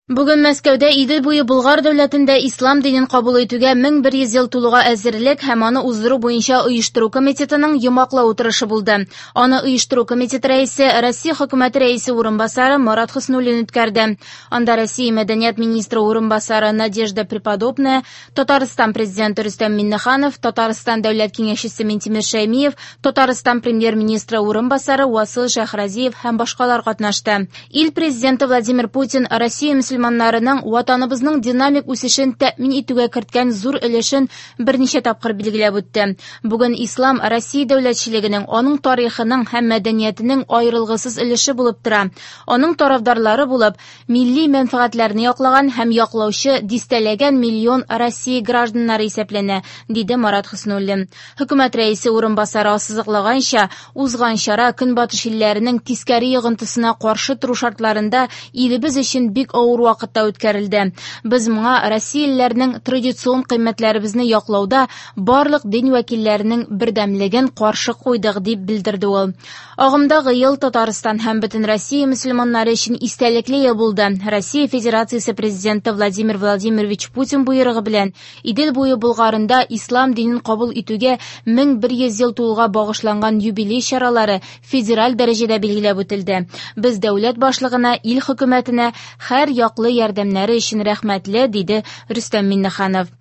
Бүген Мәскәүдә Идел буе Болгар дәүләтендә ислам динен кабул итүгә 1100 ел тулуга әзерлек һәм аны уздыру буенча оештыру комитетының йомгаклау утырышы булды. Аны оештыру комитеты рәисе, Россия хөкүмәте рәисе урынбасары Марат Хөснуллин үткәрде. Анда Россия мәдәният министры урынбасары Надежда Преподобная, Татарстан президенты Рөстәм Миңнеханов, Татарстан дәүләт киңәшчесе Минтимер Шәймиев, Татарстан премьер-министры урынбасары Васил Шәйхразиев һәм башкалар катнашты. Ил президенты Владимир Путин Россия мөселманнарының ватаныбызның динамик үсешен тәэмин итүгә керткән зур өлешен берничә тапкыр билгеләп үтте. Бүген ислам Россия дәүләтчелегенең, аның тарихының һәм мәдәниятенең аерылгысыз өлеше булып тора. Аның тарафдарлары булып, милли мәнфәгатьләрне яклаган һәм яклаучы дистәләгән миллион Россия гражданнары исәпләнә, диде Марат Хөснуллин. Хөкүмәт рәисе урынбасары ассызыклаганча, узган чара Көнбатыш илләренең тискәре йогынтысына каршы тору шартларында илебез өчен бик авыр вакытта үткәрелде. Без моңа россиялеләрнең традицион кыйммәтләребезне яклауда барлык дин вәкилләренең бердәмлеген каршы куйдык, дип белдерде ул. Агымдагы ел Татарстан һәм бөтен Россия мөселманнары өчен истәлекле ел булды. Россия Федерациясе Президенты Владимир Владимирович Путин боерыгы белән Идел буе Болгарында ислам динен кабул итүгә 1100 ел тулуга багышланган юбилей чаралары федераль дәрәҗәдә билгеләп үтелде. Без дәүләт башлыгына, ил хөкүмәтенә һәр яклы ярдәмнәре өчен рәхмәтле, диде Рөстәм Миңнеханов.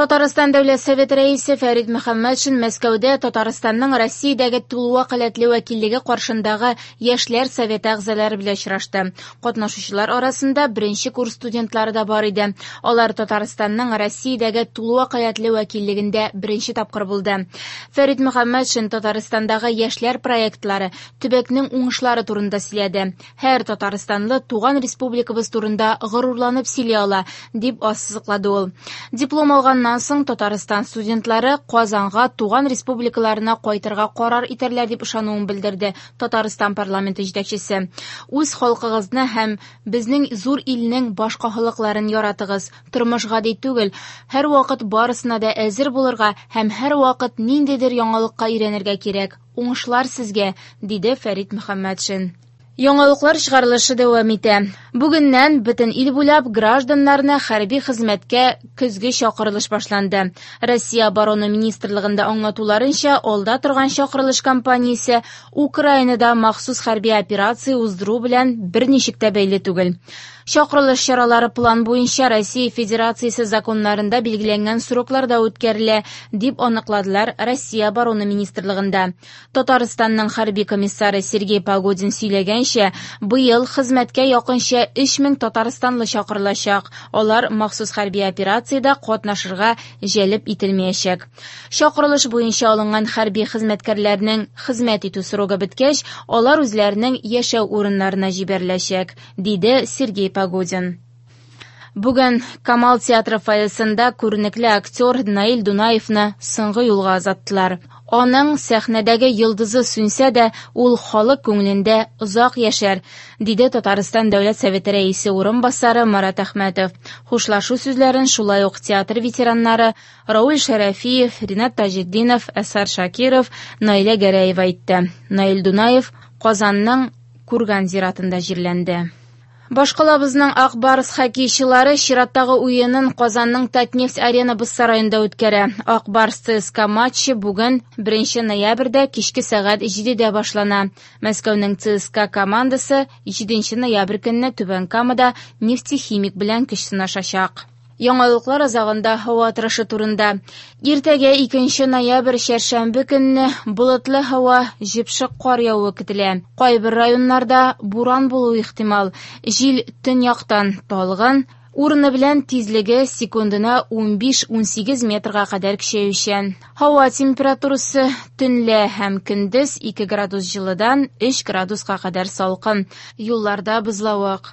Татарстан Дәүләт Советы рәисе Фәрит Мөхәммәтшин Мәскәүдә Татарстанның Россиядәге тулы вәкаләтле вәкиллеге каршындагы Яшьләр советы әгъзалары белән очрашты. Катнашучылар арасында беренче курс студентлары да бар иде. Алар Татарстанның Россиядәге тулы вәкаләтле вәкиллегендә беренче тапкыр булды. Фәрит Мөхәммәтшин Татарстандагы яшьләр проектлары, төбәкнең уңышлары турында сөйләде. Һәр татарстанлы туган республикабыз турында горурланып сөйли ала, дип ассызыклады ул. Диплом алганнан соң Татарстан студентлары Казанга туган республикаларына кайтырга карар итәрләр дип ышануын белдерде Татарстан парламенты җитәкчесе. Үз халкыгызны һәм безнең зур илнең башка халыкларын яратыгыз. Тормыш гади түгел, һәрвакыт барысына да әзер булырга һәм һәрвакыт ниндидер яңалыкка өйрәнергә кирәк. Уңышлар сезгә, диде Фәрит Мөхәммәтшин. Яңалыклар чыгарылышы дәвам итә. Бүгеннән бөтен ил буйлап гражданнарны хәрби хезмәткә көзге чакырылыш башланды. Россия Оборона министрлыгында аңлатуларынча, алда торган чакырылыш кампаниясе Украинада махсус хәрби операция уздыру белән берничек тә бәйле түгел. Чакырылыш чаралары план буенча Россия Федерациясе законнарында билгеләнгән срокларда үткәрелә, дип аныкладылар Россия Оборона министрлыгында. Татарстанның хәрби комиссары Сергей Погодин сөйләгәнчә, быел хезмәткә якынча 3000 татарстанлы чакырылачак. Алар махсус хәрби операциядә катнашырга җәлеп ителмәячәк. Чакырылыш буенча алынган хәрби хезмәткәрләрнең хезмәт итү срогы беткәч, алар үзләренең яшәү урыннарына җибәреләчәк, диде Сергей Погодин. Бүген Камал театры фойесында күренекле актер Наил Дунаевны соңгы юлга озаттылар. Аның сәхнәдәге йолдызы сүнсә дә, ул халык күңелендә озак яшәр, диде Татарстан Дәүләт Советы рәисе урынбасары Марат Әхмәтов. Хушлашу сүзләрен шулай ук театр ветераннары Рауль Шәрәфиев, Ринат Таҗетдинов, Әсар Шакиров, Наилә Гәрәева әйтте. Наил Дунаев Казанның Курган зиратында җирләнде. Башкалабызның Ак Барс хоккейчылары чираттагы уенын Казанның Татнефть Арена боз сараенда үткәрә. Ак Барс ЦСКА матчы бүген 1 ноябрьдә кичке сәгать 7дә башлана. Мәскәүнең ЦСКА командасы 7 ноябрь көнне Түбән Камада Нефтехимик белән көч сынашачак. Яңалыклар азагында һава торышы турында. Иртәгә 2 ноябрь чәршәмбе көнне болытлы һава, җепшек кар явуы көтелә. Кайбер районнарда буран булуы ихтимал. Җил төньяктан талгын, урыны белән тизлеге секундына 15-18 метрга кадәр көчәючән. Һава температурасы төнлә һәм көндез 2 градус җылыдан 3 градуска кадәр салкын. Юлларда бозлавык.